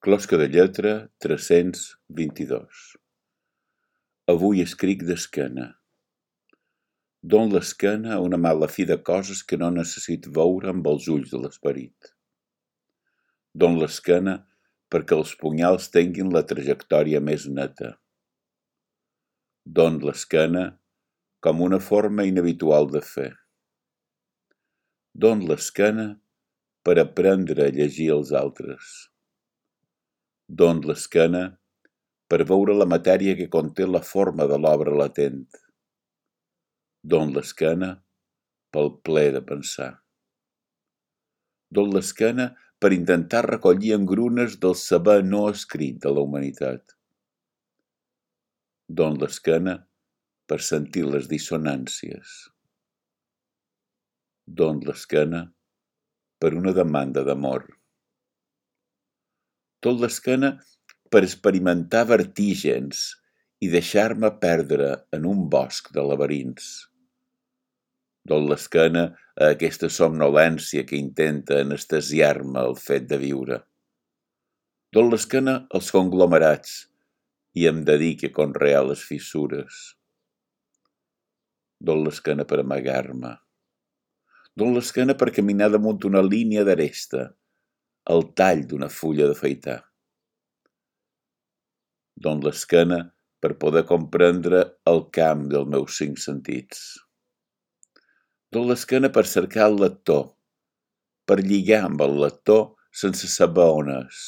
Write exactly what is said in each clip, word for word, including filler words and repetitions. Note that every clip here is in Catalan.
Closca de lletra tres-cents vint-i-dos. Avui escric d'esquena. Don l'esquena a una mala fi de coses que no necessito veure amb els ulls de l'esperit. Don l'esquena perquè els punyals tinguin la trajectòria més neta. Don l'esquena com una forma inhabitual de fer. Don l'esquena per aprendre a llegir els altres. Don l'esquena per veure la matèria que conté la forma de l'obra latent. Don l'esquena pel plaer de pensar. Don l'esquena per intentar recollir engrunes del saber no escrit de la humanitat. Don l'esquena per sentir les dissonàncies. Don l'esquena per una demanda d'amor. Don l'esquena per experimentar vertígens i deixar-me perdre en un bosc de laberints. Don l'esquena a aquesta somnolència que intenta anestesiar-me el fet de viure. Don l'esquena als conglomerats i em dedique a conrear les fissures. Don l'esquena per amagar-me. Don l'esquena per caminar damunt una línia d'aresta, el tall d'una fulla d'afaitar. Don l'esquena per poder comprendre el camp dels meus cinc sentits. Don l'esquena per cercar el lector, per lligar amb el lector sense saber on és.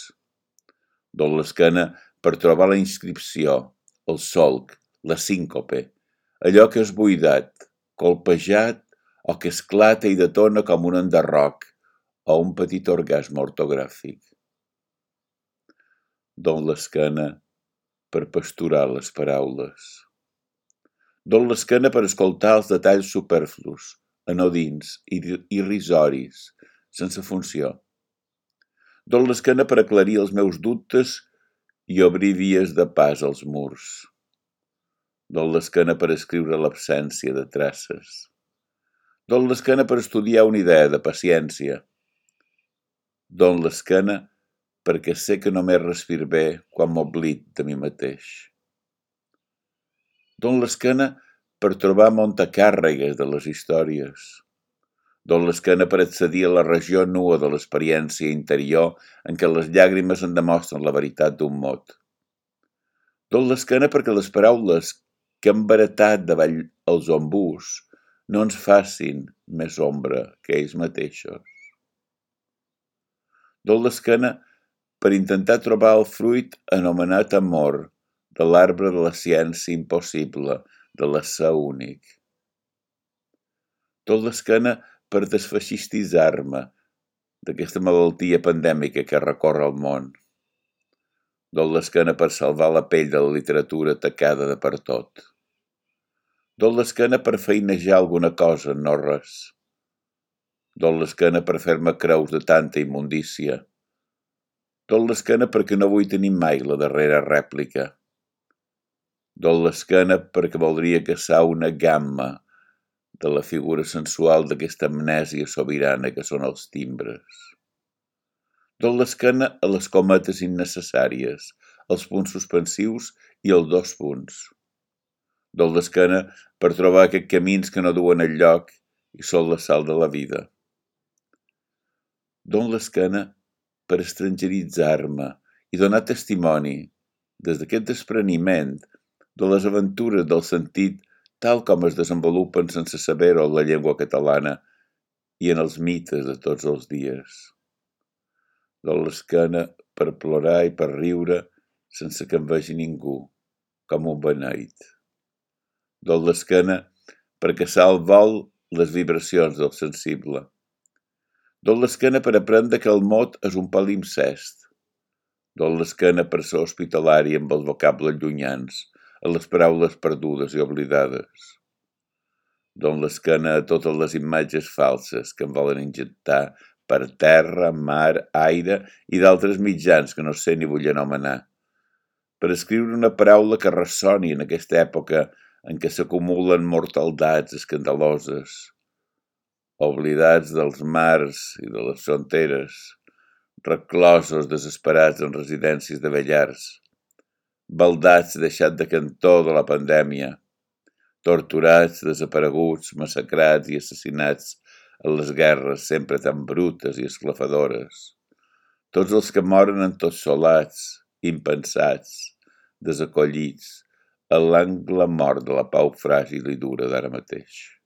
Don l'esquena per trobar la inscripció, el solc, la síncope, allò que és buidat, colpejat o que esclata i detona com un enderroc o un petit orgasme ortogràfic. Don l'esquena per pasturar les paraules. Don l'esquena per escoltar els detalls superflus, anodins i irrisoris, sense funció. Don l'esquena per aclarir els meus dubtes i obrir vies de pas als murs. Don l'esquena per escriure l'absència de traces. Don l'esquena per estudiar una idea de paciència. Don l'esquena perquè sé que només respir bé quan m'oblid de mi mateix. Don l'esquena per trobar muntacàrregues de les històries. Don l'esquena per accedir a la regió nua de l'experiència interior en què les llàgrimes en demostren la veritat d'un mot. Don l'esquena perquè les paraules que hem baratat davall els ombús no ens facin més ombra que ells mateixos. Don l'esquena per intentar trobar el fruit anomenat amor de l'arbre de la ciència impossible, de l'ésser únic. Don l'esquena per desfeixistitzar-me d'aquesta malaltia pandèmica que recorre el món. Don l'esquena per salvar la pell de la literatura tacada de pertot. Don l'esquena per feinejar alguna cosa, no res. Don l'esquena per fer-me creus de tanta immundícia. Don l'esquena perquè no vull tenir mai la darrera rèplica. Don l'esquena perquè voldria caçar una gamma de la figura sensual d'aquesta amnèsia sobirana que són els timbres. Don l'esquena a les cometes innecessàries, els punts suspensius i els dos punts. Don l'esquena per trobar aquests camins que no duen enlloc i són la sal de la vida. Don l'esquena per estrangeritzar-me i donar testimoni, des d'aquest despreniment, de les aventures del sentit tal com es desenvolupen sense saber-ho en la llengua catalana i en els mites de tots els dies. Don l'esquena per plorar i per riure sense que em vegi ningú, com un beneit. Don l'esquena per caçar al vol les vibracions del sensible. Don l'esquena per aprendre que el mot és un palimpsest. Don l'esquena per ser hospitalari amb els vocables llunyans, a les paraules perdudes i oblidades. Don l'esquena a totes les imatges falses que em volen injectar per terra, mar, aire i d'altres mitjans que no sé ni vull anomenar. Per escriure una paraula que ressoni en aquesta època en què s'acumulen mortaldats escandaloses, oblidats dels mars i de les fronteres, reclosos desesperats en residències de vellars, baldats deixats de cantó de la pandèmia, torturats, desapareguts, massacrats i assassinats en les guerres sempre tan brutes i esclafadores. Tots els que moren entossolats, impensats, desacollits, en l'angle mort de la pau fràgil i dura d'ara mateix.